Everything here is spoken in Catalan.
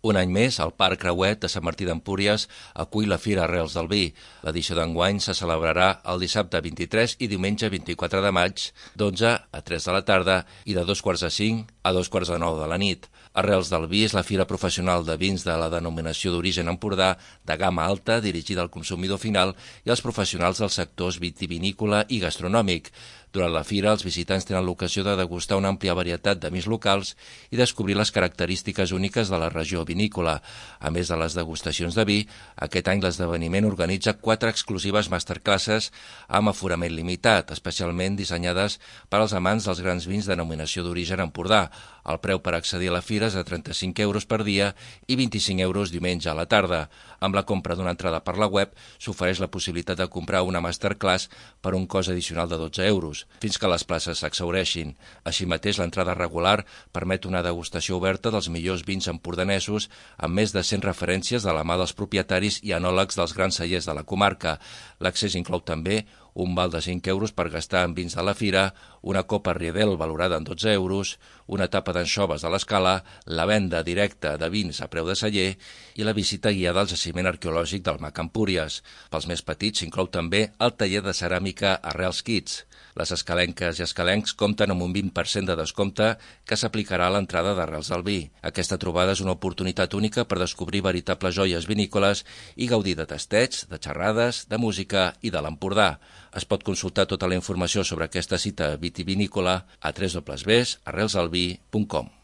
Un any més, el Parc Creuet de Sant Martí d'Empúries acull la Fira Arrels del Vi. L'edició d'enguany se celebrarà el dissabte 23 i diumenge 24 de maig, d'11 a 3 de la tarda i de 2:45 a 2:45 de la nit. Arrels del Vi és la fira professional de vins de la denominació d'origen Empordà de gamma alta dirigida al consumidor final i als professionals dels sectors vitivinícola i gastronòmic. Durant la fira, els visitants tenen l'ocasió de degustar una àmplia varietat de vins locals i descobrir les característiques úniques de la regió vinícola. A més de les degustacions de vi, aquest any l'esdeveniment organitza 4 exclusives masterclasses amb aforament limitat, especialment dissenyades per als amants dels grans vins de denominació d'origen Empordà. El preu per accedir a la fira és de 35 euros per dia i 25 euros diumenge a la tarda. Amb la compra d'una entrada per la web s'ofereix la possibilitat de comprar una masterclass per un cost addicional de 12 euros, fins que les places s'exhaureixin. Així mateix, l'entrada regular permet una degustació oberta dels millors vins empordanesos amb més de 100 referències de la mà dels propietaris i enòlegs dels grans cellers de la comarca. L'accés inclou també un val de 5 euros per gastar en vins de la fira, una copa Riedel valorada en 12 euros, una tapa d'anxoves de l'Escala, la venda directa de vins a preu de celler i la visita guiada al jaciment arqueològic del Mac Empúries. Pels més petits s'inclou també el taller de ceràmica Arrels Kids. Les escalenques i escalencs compten amb un 20% de descompte que s'aplicarà a l'entrada d'Arrels del Vi. Aquesta trobada és una oportunitat única per descobrir veritables joies vinícoles i gaudir de tastets, de xerrades, de música i de l'Empordà. Es pot consultar tota la informació sobre aquesta cita vitivinícola a www.arrelsdelvi.com.